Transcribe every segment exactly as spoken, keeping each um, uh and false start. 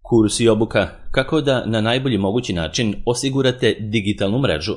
Kurs i obuka kako da na najbolji mogući način osigurate digitalnu mrežu.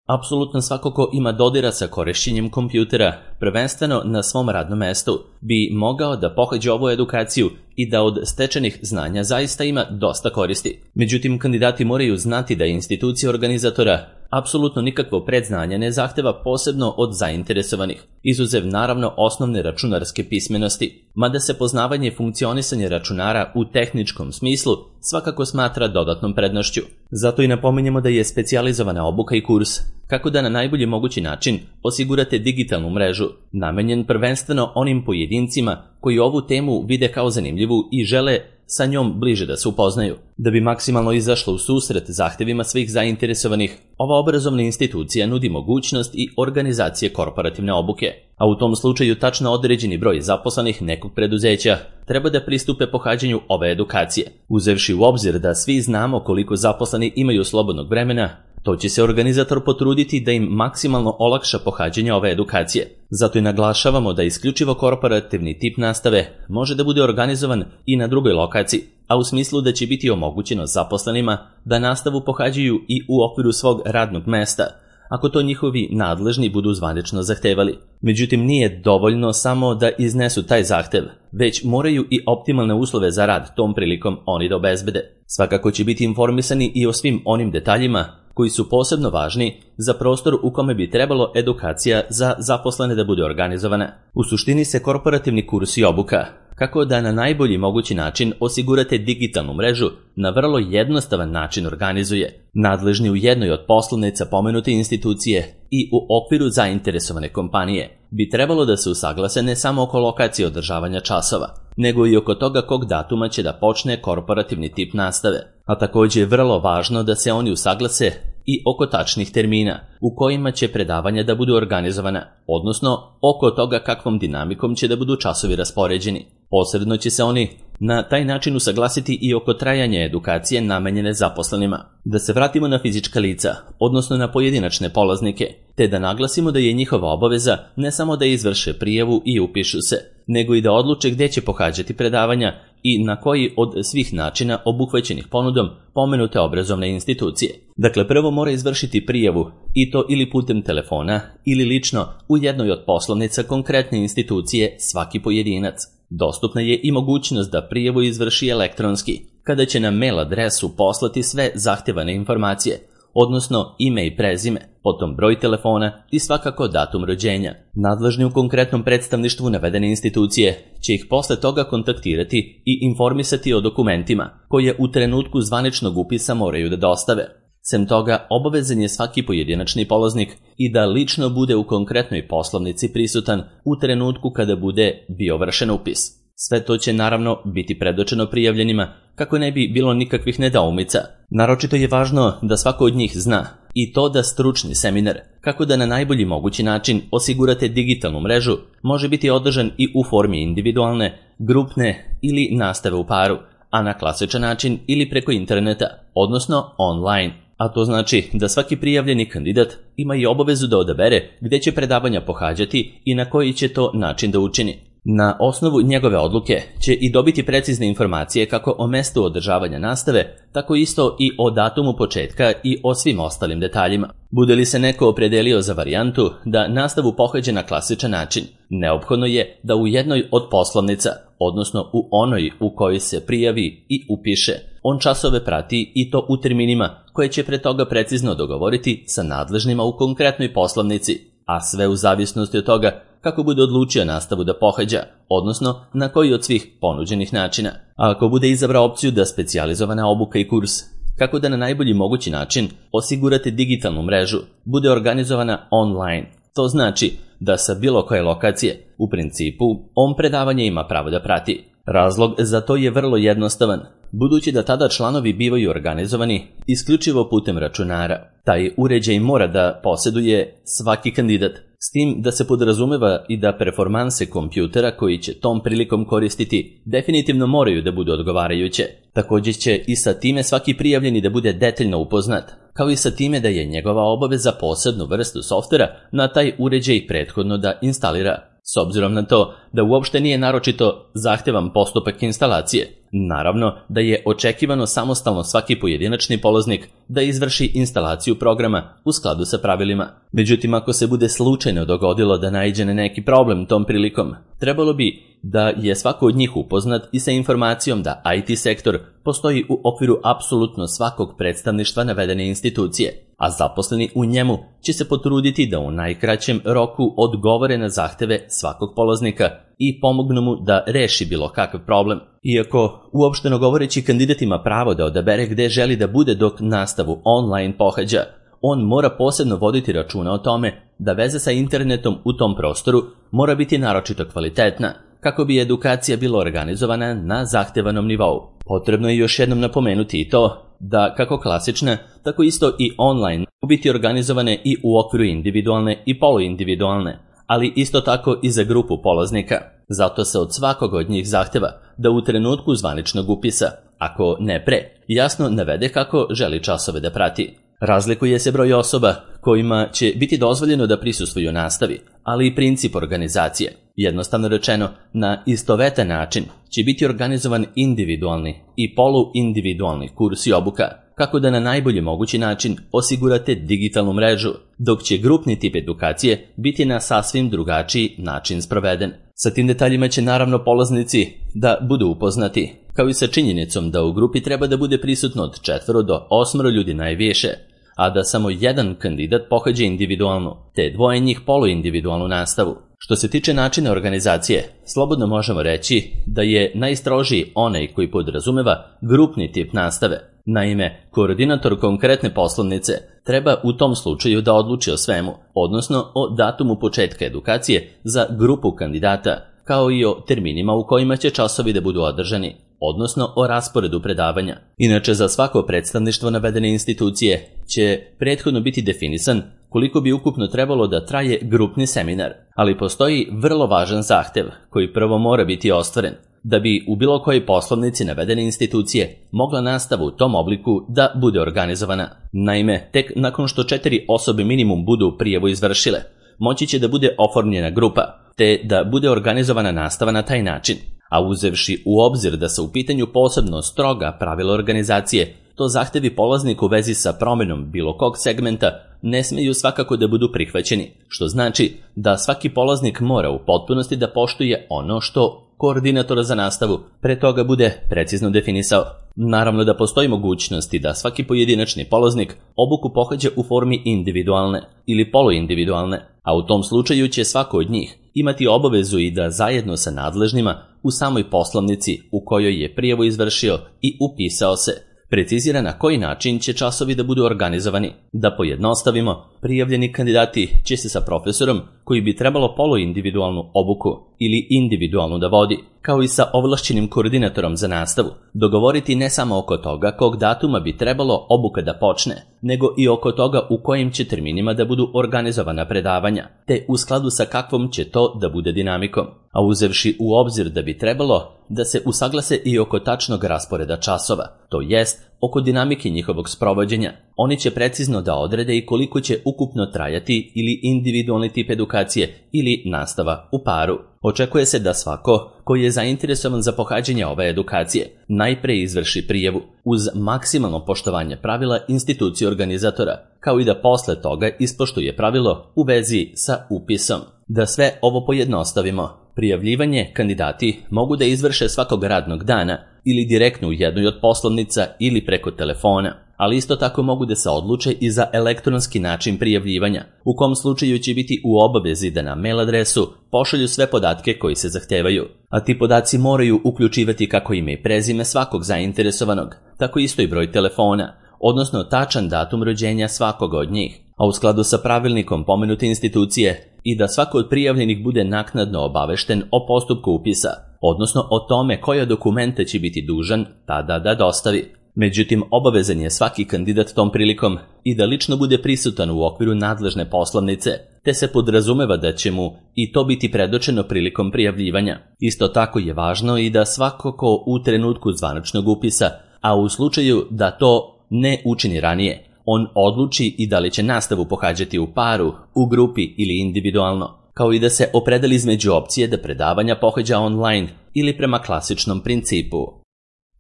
Apsolutno svako ko ima dodira sa korišćenjem kompjutera, prvenstveno na svom radnom mestu, bi mogao da pohađa ovu edukaciju i da od stečenih znanja zaista ima dosta koristi. Međutim, kandidati moraju znati da institucija organizatora apsolutno nikakvo predznanje ne zahteva posebno od zainteresovanih, izuzev naravno osnovne računarske pismenosti, mada se poznavanje i funkcionisanje računara u tehničkom smislu svakako smatra dodatnom prednošću. Zato i napominjemo da je specijalizovana obuka i kurs kako da na najbolji mogući način osigurate digitalnu mrežu, namenjen prvenstveno onim pojedincima koji ovu temu vide kao zanimljivu i žele sa njom bliže da se upoznaju. Da bi maksimalno izašla u susret zahtevima svih zainteresovanih, ova obrazovna institucija nudi mogućnost i organizacije korporativne obuke, a u tom slučaju tačno određeni broj zaposlenih nekog preduzeća treba da pristupe pohađanju ove edukacije. Uzevši u obzir da svi znamo koliko zaposleni imaju slobodnog vremena, to će se organizator potruditi da im maksimalno olakša pohađanje ove edukacije. Zato i naglašavamo da isključivo korporativni tip nastave može da bude organizovan i na drugoj lokaciji, a u smislu da će biti omogućeno zaposlenima da nastavu pohađaju i u okviru svog radnog mesta, ako to njihovi nadležni budu zvanično zahtevali. Međutim, nije dovoljno samo da iznesu taj zahtev, već moraju i optimalne uslove za rad tom prilikom oni da obezbede. Svakako će biti informisani i o svim onim detaljima koji su posebno važni za prostor u kome bi trebalo edukacija za zaposlene da bude organizovana. U suštini se korporativni kurs i obuka kako da na najbolji mogući način osigurate digitalnu mrežu na vrlo jednostavan način organizuje. Nadležni u jednoj od poslovnica pomenute institucije i u okviru zainteresovane kompanije bi trebalo da se usaglase ne samo oko lokacije održavanja časova, nego i oko toga kog datuma će da počne korporativni tip nastave. A također je vrlo važno da se oni usaglase i oko tačnih termina u kojima će predavanja da budu organizovana, odnosno oko toga kakvom dinamikom će da budu časovi raspoređeni. Posredno će se oni na taj način usaglasiti i oko trajanja edukacije namenjene zaposlenima. Da se vratimo na fizička lica, odnosno na pojedinačne polaznike, te da naglasimo da je njihova obaveza ne samo da izvrše prijavu i upišu se, nego i da odluče gdje će pohađati predavanja i na koji od svih načina obuhvaćenih ponudom pomenute obrazovne institucije. Dakle, prvo mora izvršiti prijavu, i to ili putem telefona ili lično u jednoj od poslovnica konkretne institucije svaki pojedinac. Dostupna je i mogućnost da prijavu izvrši elektronski, kada će na mail adresu poslati sve zahtevane informacije, odnosno ime i prezime, potom broj telefona i svakako datum rođenja. Nadležni u konkretnom predstavništvu navedene institucije će ih posle toga kontaktirati i informisati o dokumentima koje u trenutku zvaničnog upisa moraju da dostave. Sem toga, obavezan je svaki pojedinačni polaznik i da lično bude u konkretnoj poslovnici prisutan u trenutku kada bude bio vršen upis. Sve to će naravno biti predočeno prijavljenima kako ne bi bilo nikakvih nedoumica. Naročito je važno da svako od njih zna i to da stručni seminar, kako da na najbolji mogući način osigurate digitalnu mrežu, može biti održan i u formi individualne, grupne ili nastave u paru, a na klasičan način ili preko interneta, odnosno online. A to znači da svaki prijavljeni kandidat ima i obavezu da odabere gdje će predavanja pohađati i na koji će to način da učini. Na osnovu njegove odluke će i dobiti precizne informacije kako o mestu održavanja nastave, tako isto i o datumu početka i o svim ostalim detaljima. Bude li se neko opredelio za varijantu da nastavu pohađa na klasičan način, neophodno je da u jednoj od poslovnica, odnosno u onoj u kojoj se prijavi i upiše, on časove prati i to u terminima koje će pre toga precizno dogovoriti sa nadležnima u konkretnoj poslovnici, a sve u zavisnosti od toga kako bude odlučio nastavu da pohađa, odnosno na koji od svih ponuđenih načina. A ako bude izabrao opciju da specijalizovana obuka i kurs, kako da na najbolji mogući način osigurate digitalnu mrežu, bude organizovana online. To znači da sa bilo koje lokacije, u principu, on predavanje ima pravo da prati. Razlog za to je vrlo jednostavan, budući da tada članovi bivaju organizovani isključivo putem računara. Taj uređaj mora da posjeduje svaki kandidat, s tim da se podrazumeva i da performanse kompjutera koji će tom prilikom koristiti definitivno moraju da budu odgovarajuće. Također će i sa time svaki prijavljeni da bude detaljno upoznat, kao i sa time da je njegova obaveza posebnu vrstu softvera na taj uređaj prethodno da instalira. S obzirom na to da uopšte nije naročito zahtevan postupak instalacije, Naravno da je očekivano samostalno svaki pojedinačni polaznik da izvrši instalaciju programa u skladu sa pravilima. Međutim, ako se bude slučajno dogodilo da naiđe na neki problem tom prilikom, trebalo bi da je svako od njih upoznat i sa informacijom da I T sektor postoji u okviru apsolutno svakog predstavništva navedene institucije, a zaposleni u njemu će se potruditi da u najkraćem roku odgovore na zahteve svakog polaznika i pomognu mu da reši bilo kakav problem. Iako, uopšteno govoreći, kandidat ima pravo da odabere gde želi da bude dok nastavu online pohađa, on mora posebno voditi računa o tome da veza sa internetom u tom prostoru mora biti naročito kvalitetna, kako bi edukacija bila organizovana na zahtevanom nivou. Potrebno je još jednom napomenuti i to da kako klasična, tako isto i online mogu biti organizovane i u okviru individualne i poluindividualne, ali isto tako i za grupu polaznika. Zato se od svakog od njih zahteva da u trenutku zvaničnog upisa, ako ne pre, jasno navede kako želi časove da prati. Razlikuje se broj osoba kojima će biti dozvoljeno da prisustvuju nastavi, ali i princip organizacije. Jednostavno rečeno, na istovetan način će biti organizovan individualni i poluindividualni kurs i obuka, kako da na najbolji mogući način osigurate digitalnu mrežu, dok će grupni tip edukacije biti na sasvim drugačiji način sproveden. Sa tim detaljima će naravno polaznici da budu upoznati, kao i sa činjenicom da u grupi treba da bude prisutno od četvoro do osmoro ljudi najviše, a da samo jedan kandidat pohađa individualnu, te dvoje njih poluindividualnu nastavu. Što se tiče načina organizacije, slobodno možemo reći da je najstrožiji onaj koji podrazumeva grupni tip nastave. Naime, koordinator konkretne poslovnice treba u tom slučaju da odluči o svemu, odnosno o datumu početka edukacije za grupu kandidata, kao i o terminima u kojima će časovi da budu održani, odnosno o rasporedu predavanja. Inače, za svako predstavništvo navedene institucije će prethodno biti definisan koliko bi ukupno trebalo da traje grupni seminar, ali postoji vrlo važan zahtev koji prvo mora biti ostvaren, da bi u bilo kojoj poslovnici navedene institucije mogla nastava u tom obliku da bude organizovana. Naime, tek nakon što četiri osobe minimum budu prijavu izvršile, moći će da bude oformljena grupa, te da bude organizovana nastava na taj način. A uzevši u obzir da se u pitanju posebno stroga pravila organizacije, to zahtevi polaznika u vezi sa promenom bilo kog segmenta ne smeju svakako da budu prihvaćeni, što znači da svaki polaznik mora u potpunosti da poštuje ono što koordinator za nastavu pre toga bude precizno definisao. Naravno da postoji mogućnosti da svaki pojedinačni polaznik obuku pohađa u formi individualne ili poluindividualne, a u tom slučaju će svako od njih imati obavezu i da zajedno sa nadležnima u samoj poslovnici u kojoj je prijavu izvršio i upisao se, precizira na koji način će časovi da budu organizovani. Da pojednostavimo, prijavljeni kandidati će se sa profesorom koji bi trebalo poluindividualnu obuku ili individualnu da vodi, kao i sa ovlašćenim koordinatorom za nastavu, dogovoriti ne samo oko toga kog datuma bi trebalo obuka da počne, nego i oko toga u kojim će terminima da budu organizovana predavanja, te u skladu sa kakvom će to da bude dinamikom. A uzevši u obzir da bi trebalo da se usaglase i oko tačnog rasporeda časova, to jest oko dinamike njihovog sprovođenja. Oni će precizno da odrede i koliko će ukupno trajati ili individualni tip edukacije ili nastava u paru. Očekuje se da svako koji je zainteresovan za pohađanje ove edukacije najpre izvrši prijavu uz maksimalno poštovanje pravila institucije organizatora, kao i da posle toga ispoštuje pravilo u vezi sa upisom. Da sve ovo pojednostavimo, prijavljivanje kandidati mogu da izvrše svakog radnog dana ili direktno u jednoj od poslovnica ili preko telefona, ali isto tako mogu da se odluče i za elektronski način prijavljivanja, u kom slučaju će biti u obavezi da na mail adresu pošalju sve podatke koji se zahtevaju, a ti podaci moraju uključivati kako ime i prezime svakog zainteresovanog, tako isto i broj telefona, odnosno tačan datum rođenja svakoga od njih, a u skladu sa pravilnikom pomenute institucije i da svako od prijavljenih bude naknadno obavešten o postupku upisa, odnosno o tome koje dokumente će biti dužan tada da dostavi. Međutim, obavezan je svaki kandidat tom prilikom i da lično bude prisutan u okviru nadležne poslovnice, te se podrazumeva da će mu i to biti predočeno prilikom prijavljivanja. Isto tako je važno i da svako ko u trenutku zvaničnog upisa, a u slučaju da to ne učini ranije, on odluči i da li će nastavu pohađati u paru, u grupi ili individualno, kao i da se opredeli između opcije da predavanja pohađa online ili prema klasičnom principu.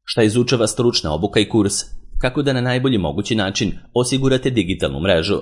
Šta izučava stručna obuka i kurs? Kako da na najbolji mogući način osigurate digitalnu mrežu?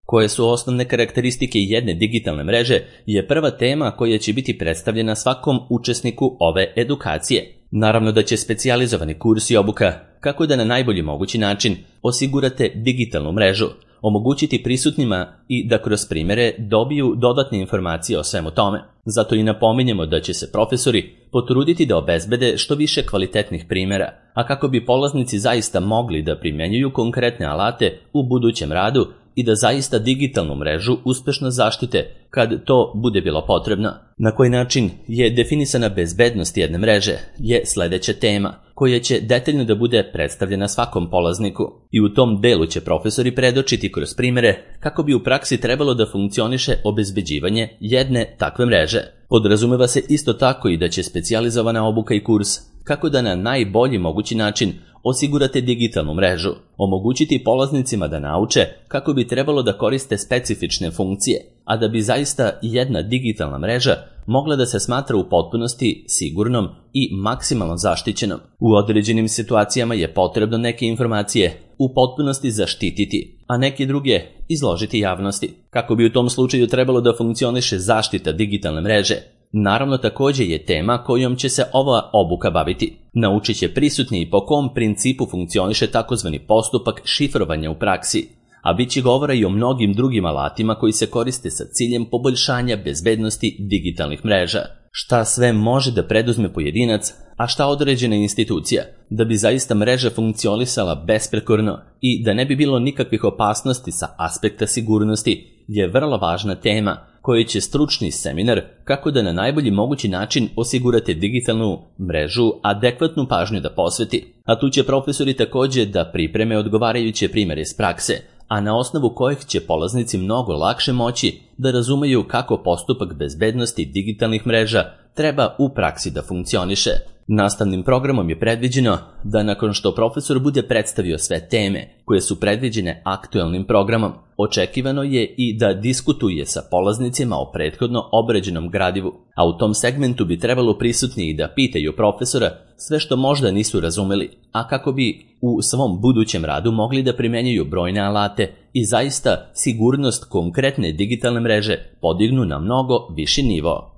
Koje su osnovne karakteristike jedne digitalne mreže je prva tema koja će biti predstavljena svakom učesniku ove edukacije. Naravno da će specijalizovani kurs i obuka kako da na najbolji mogući način osigurate digitalnu mrežu, omogućiti prisutnima i da kroz primjere dobiju dodatne informacije o svemu tome. Zato i napominjemo da će se profesori potruditi da obezbede što više kvalitetnih primjera, a kako bi polaznici zaista mogli da primjenjuju konkretne alate u budućem radu i da zaista digitalnu mrežu uspešno zaštite kad to bude bilo potrebno. Na koji način je definisana bezbednost jedne mreže je sledeća tema, koja će detaljno da bude predstavljena svakom polazniku. I u tom delu će profesori predočiti kroz primjere kako bi u praksi trebalo da funkcioniše obezbeđivanje jedne takve mreže. Podrazumeva se isto tako i da će specijalizovana obuka i kurs kako da na najbolji mogući način osigurate digitalnu mrežu, omogućiti polaznicima da nauče kako bi trebalo da koriste specifične funkcije, a da bi zaista jedna digitalna mreža mogla da se smatra u potpunosti sigurnom i maksimalno zaštićenom. U određenim situacijama je potrebno neke informacije u potpunosti zaštititi, a neke druge izložiti javnosti. Kako bi u tom slučaju trebalo da funkcioniše zaštita digitalne mreže? Naravno, također je tema kojom će se ova obuka baviti. Naučit će prisutni i po kom principu funkcioniše takozvani postupak šifrovanja u praksi, a bit će govora i o mnogim drugim alatima koji se koriste sa ciljem poboljšanja bezbednosti digitalnih mreža. Šta sve može da preduzme pojedinac, a šta određena institucija, da bi zaista mreža funkcionisala besprekorno i da ne bi bilo nikakvih opasnosti sa aspekta sigurnosti, je vrlo važna tema koji će stručni seminar kako da na najbolji mogući način osigurate digitalnu mrežu adekvatnu pažnju da posveti. A tu će profesori također da pripreme odgovarajuće primjere iz prakse, a na osnovu kojih će polaznici mnogo lakše moći da razumeju kako postupak bezbednosti digitalnih mreža treba u praksi da funkcioniše. Nastavnim programom je predviđeno da nakon što profesor bude predstavio sve teme koje su predviđene aktuelnim programom, očekivano je i da diskutuje sa polaznicima o prethodno obrađenom gradivu, a u tom segmentu bi trebalo prisutni i da pitaju profesora sve što možda nisu razumeli, a kako bi u svom budućem radu mogli da primenjuju brojne alate i zaista sigurnost konkretne digitalne mreže podignu na mnogo viši nivo.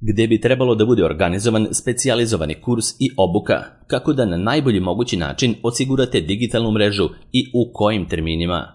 Gde bi trebalo da bude organizovan specijalizovani kurs i obuka, kako da na najbolji mogući način osigurate digitalnu mrežu i u kojim terminima.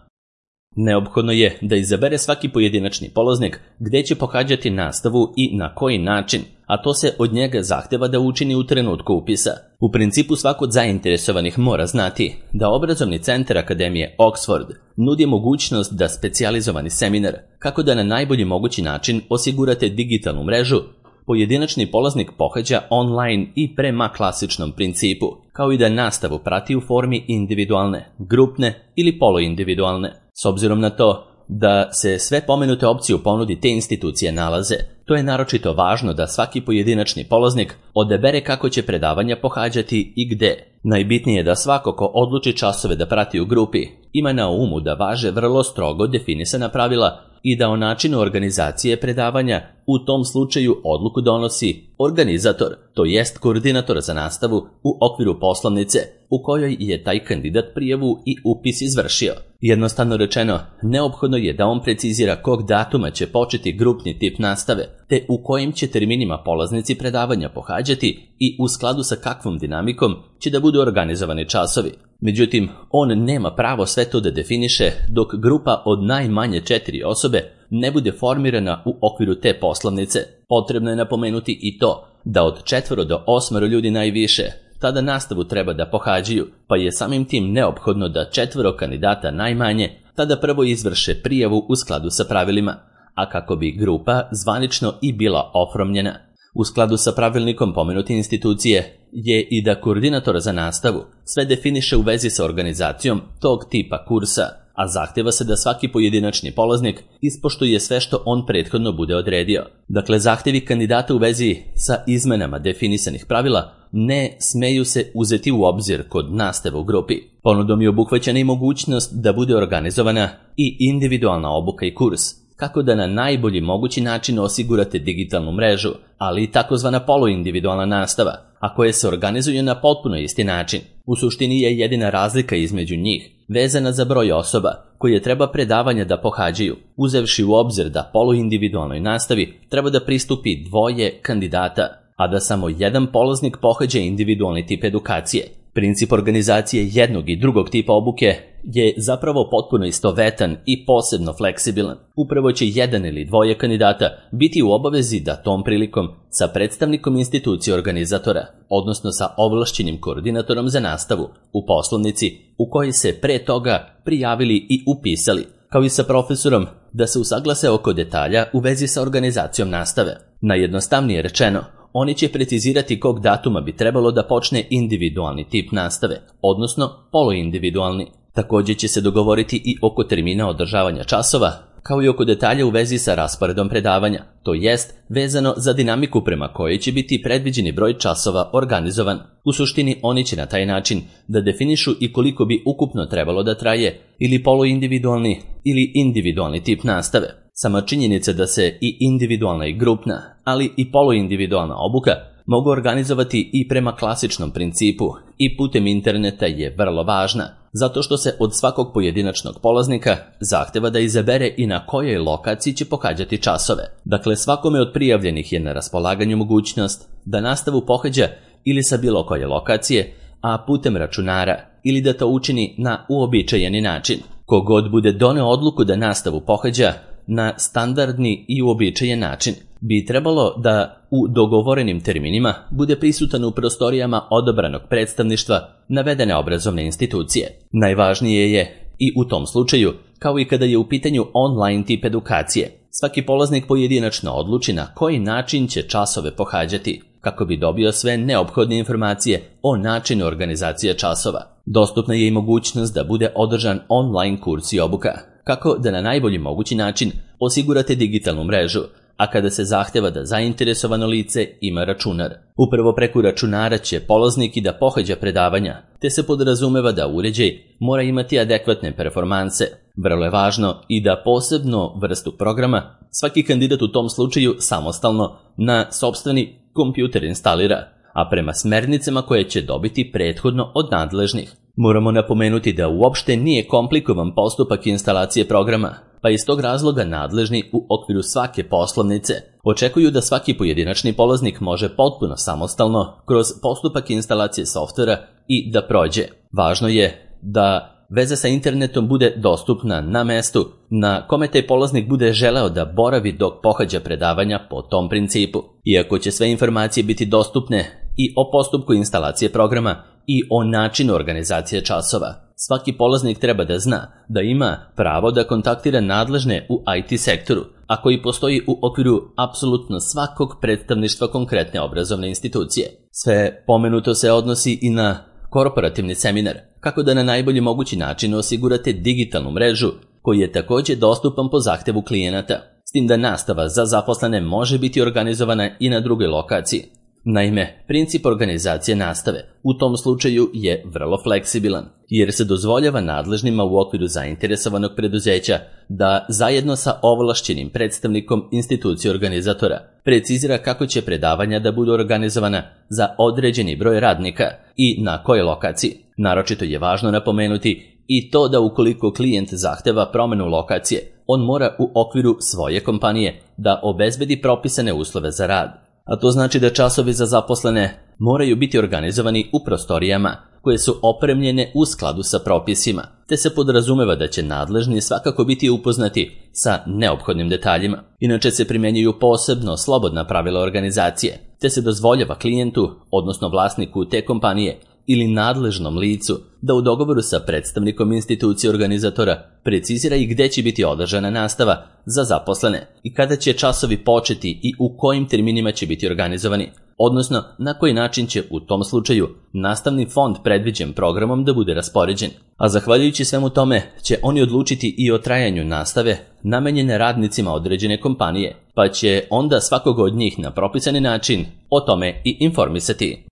Neophodno je da izabere svaki pojedinačni polaznik gde će pohađati nastavu i na koji način, a to se od njega zahteva da učini u trenutku upisa. U principu svako od zainteresovanih mora znati da obrazovni centar Akademije Oxford nudi mogućnost da specijalizovani seminar, kako da na najbolji mogući način osigurate digitalnu mrežu, pojedinačni polaznik pohađa online i prema klasičnom principu, kao i da nastavu prati u formi individualne, grupne ili poluindividualne. S obzirom na to da se sve pomenute opcije u ponudi te institucije nalaze, to je naročito važno da svaki pojedinačni polaznik odabere kako će predavanja pohađati i gde. Najbitnije je da svako ko odluči časove da prati u grupi ima na umu da važe vrlo strogo definisana pravila i da o načinu organizacije predavanja u tom slučaju odluku donosi organizator, to jest koordinator za nastavu u okviru poslovnice u kojoj je taj kandidat prijavu i upis izvršio. Jednostavno rečeno, neophodno je da on precizira kog datuma će početi grupni tip nastave, te u kojim će terminima polaznici predavanja pohađati i u skladu sa kakvom dinamikom će da budu organizovani časovi. Međutim, on nema pravo sve to da definiše dok grupa od najmanje četiri osobe ne bude formirana u okviru te poslovnice. Potrebno je napomenuti i to da od četvoro do osmoro ljudi najviše tada nastavu treba da pohađaju, pa je samim tim neophodno da četvoro kandidata najmanje tada prvo izvrše prijavu u skladu sa pravilima, a kako bi grupa zvanično i bila oformljena. U skladu sa pravilnikom pomenute institucije je i da koordinator za nastavu sve definiše u vezi sa organizacijom tog tipa kursa, a zahteva se da svaki pojedinačni polaznik ispoštuje sve što on prethodno bude odredio. Dakle, zahtevi kandidata u vezi sa izmenama definisanih pravila ne smeju se uzeti u obzir kod nastave u grupi. Ponudom je obuhvaćena i mogućnost da bude organizovana i individualna obuka i kurs, kako da na najbolji mogući način osigurate digitalnu mrežu, ali i takozvana poluindividualna nastava, a koje se organizuju na potpuno isti način. U suštini je jedina razlika između njih vezana za broj osoba koje treba predavanja da pohađaju, uzevši u obzir da poluindividualnoj nastavi treba da pristupi dvoje kandidata, a da samo jedan polaznik pohađa individualni tip edukacije. Princip organizacije jednog i drugog tipa obuke je zapravo potpuno istovetan i posebno fleksibilan. Upravo će jedan ili dvoje kandidata biti u obavezi da tom prilikom sa predstavnikom institucije organizatora, odnosno sa ovlašćenim koordinatorom za nastavu, u poslovnici u kojoj se pre toga prijavili i upisali, kao i sa profesorom, da se usaglase oko detalja u vezi sa organizacijom nastave. Najjednostavnije rečeno, oni će precizirati kog datuma bi trebalo da počne individualni tip nastave, odnosno poluindividualni. Također će se dogovoriti i oko termina održavanja časova, kao i oko detalja u vezi sa rasporedom predavanja, to jest vezano za dinamiku prema kojoj će biti predviđeni broj časova organizovan. U suštini oni će na taj način da definišu i koliko bi ukupno trebalo da traje ili poluindividualni ili individualni tip nastave. Sama činjenica da se i individualna i grupna, ali i poluindividualna obuka mogu organizovati i prema klasičnom principu i putem interneta je vrlo važna, zato što se od svakog pojedinačnog polaznika zahteva da izabere i na kojoj lokaciji će pohađati časove. Dakle, svakome od prijavljenih je na raspolaganju mogućnost da nastavu pohađa ili sa bilo koje lokacije, a putem računara, ili da to učini na uobičajeni način. Kogod bude doneo odluku da nastavu pohađa na standardni i uobičajen način, bi trebalo da u dogovorenim terminima bude prisutan u prostorijama odabranog predstavništva navedene obrazovne institucije. Najvažnije je i u tom slučaju, kao i kada je u pitanju online tip edukacije, svaki polaznik pojedinačno odluči na koji način će časove pohađati, kako bi dobio sve neophodne informacije o načinu organizacije časova. Dostupna je i mogućnost da bude održan online kurs i obuka, kako da na najbolji mogući način osigurate digitalnu mrežu, a kada se zahteva da zainteresovano lice ima računar. Upravo preko računara će polaznik i da pohađa predavanja, te se podrazumeva da uređaj mora imati adekvatne performanse. Vrlo je važno i da posebno vrstu programa svaki kandidat u tom slučaju samostalno na sopstveni kompjuter instalira, a prema smernicama koje će dobiti prethodno od nadležnih. Moramo napomenuti da uopšte nije komplikovan postupak instalacije programa, pa iz tog razloga nadležni u okviru svake poslovnice očekuju da svaki pojedinačni polaznik može potpuno samostalno kroz postupak instalacije softvera i da prođe. Važno je da veza sa internetom bude dostupna na mestu na kome taj polaznik bude želeo da boravi dok pohađa predavanja po tom principu. Iako će sve informacije biti dostupne i o postupku instalacije programa i o načinu organizacije časova, svaki polaznik treba da zna da ima pravo da kontaktira nadležne u I T sektoru, a koji postoji u okviru apsolutno svakog predstavništva konkretne obrazovne institucije. Sve pomenuto se odnosi i na korporativni seminar, kako da na najbolji mogući način osigurate digitalnu mrežu koji je također dostupan po zahtevu klijenata, s tim da nastava za zaposlene može biti organizovana i na drugoj lokaciji. Naime, princip organizacije nastave u tom slučaju je vrlo fleksibilan, jer se dozvoljava nadležnima u okviru zainteresovanog preduzeća da zajedno sa ovlašćenim predstavnikom institucije organizatora precizira kako će predavanja da budu organizovana za određeni broj radnika i na kojoj lokaciji. Naročito je važno napomenuti i to da ukoliko klijent zahteva promenu lokacije, on mora u okviru svoje kompanije da obezbedi propisane uslove za rad. A to znači da časovi za zaposlene moraju biti organizovani u prostorijama koje su opremljene u skladu sa propisima, te se podrazumeva da će nadležni svakako biti upoznati sa neophodnim detaljima. Inače se primjenjuju posebno slobodna pravila organizacije, te se dozvoljava klijentu, odnosno vlasniku te kompanije ili nadležnom licu da u dogovoru sa predstavnikom institucije organizatora precizira i gde će biti održana nastava za zaposlene i kada će časovi početi i u kojim terminima će biti organizovani, odnosno na koji način će u tom slučaju nastavni fond predviđen programom da bude raspoređen. A zahvaljujući svemu tome će oni odlučiti i o trajanju nastave namenjene radnicima određene kompanije, pa će onda svakog od njih na propisani način o tome i informisati.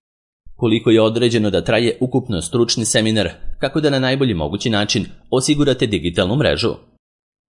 Koliko je određeno da traje ukupno stručni seminar, kako da na najbolji mogući način osigurate digitalnu mrežu.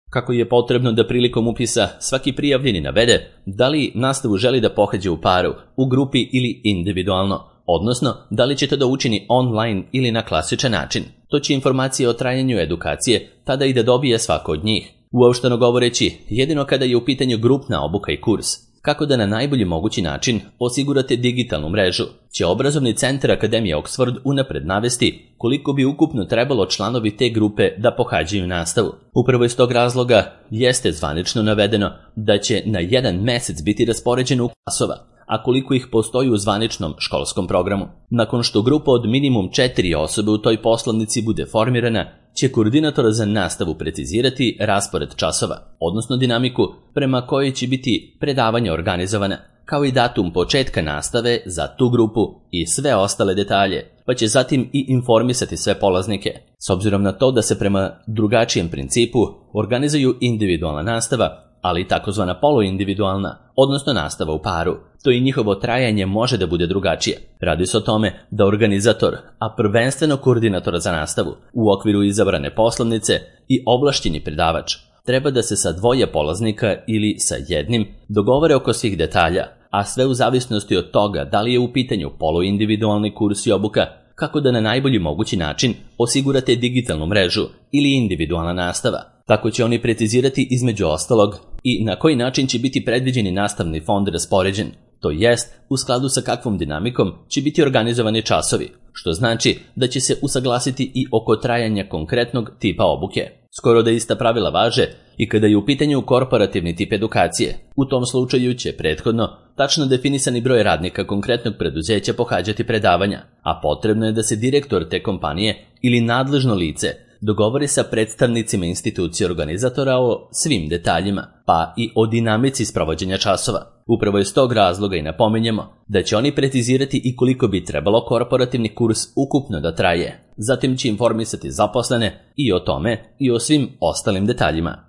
Kako je potrebno da prilikom upisa svaki prijavljeni navede da li nastavu želi da pohađa u paru, u grupi ili individualno, odnosno da li će to da učini online ili na klasičan način. To će informacije o trajanju edukacije tada i da dobije svako od njih. Uopšteno govoreći, jedino kada je u pitanju grupna obuka i kurs, kako da na najbolji mogući način osigurate digitalnu mrežu, će obrazovni centar Akademije Oxford unapred navesti koliko bi ukupno trebalo članovi te grupe da pohađaju nastavu. Upravo iz tog razloga jeste zvanično navedeno da će na jedan mesec biti raspoređeno u klasova, a koliko ih postoji u zvaničnom školskom programu. Nakon što grupa od minimum četiri osobe u toj poslovnici bude formirana, će koordinator za nastavu precizirati raspored časova, odnosno dinamiku prema kojoj će biti predavanja organizovana, kao i datum početka nastave za tu grupu i sve ostale detalje, pa će zatim i informisati sve polaznike. S obzirom na to da se prema drugačijem principu organizuju individualna nastava, ali i takozvana poluindividualna, odnosno nastava u paru, to i njihovo trajanje može da bude drugačije. Radi se o tome da organizator, a prvenstveno koordinator za nastavu, u okviru izabrane poslovnice i ovlašćeni predavač, treba da se sa dvoje polaznika ili sa jednim dogovore oko svih detalja, a sve u zavisnosti od toga da li je u pitanju poluindividualni kurs i obuka, kako da na najbolji mogući način osigurate digitalnu mrežu ili individualna nastava. Tako će oni precizirati između ostalog i na koji način će biti predviđeni nastavni fond raspoređen, to jest u skladu sa kakvom dinamikom će biti organizovani časovi, što znači da će se usaglasiti i oko trajanja konkretnog tipa obuke. Skoro da ista pravila važe i kada je u pitanju korporativni tip edukacije. U tom slučaju će prethodno tačno definisani broj radnika konkretnog preduzeća pohađati predavanja, a potrebno je da se direktor te kompanije ili nadležno lice dogovori sa predstavnicima institucije organizatora o svim detaljima, pa i o dinamici sprovođenja časova. Upravo iz tog razloga i napominjemo da će oni precizirati i koliko bi trebalo korporativni kurs ukupno da traje. Zatim će informisati zaposlene i o tome i o svim ostalim detaljima.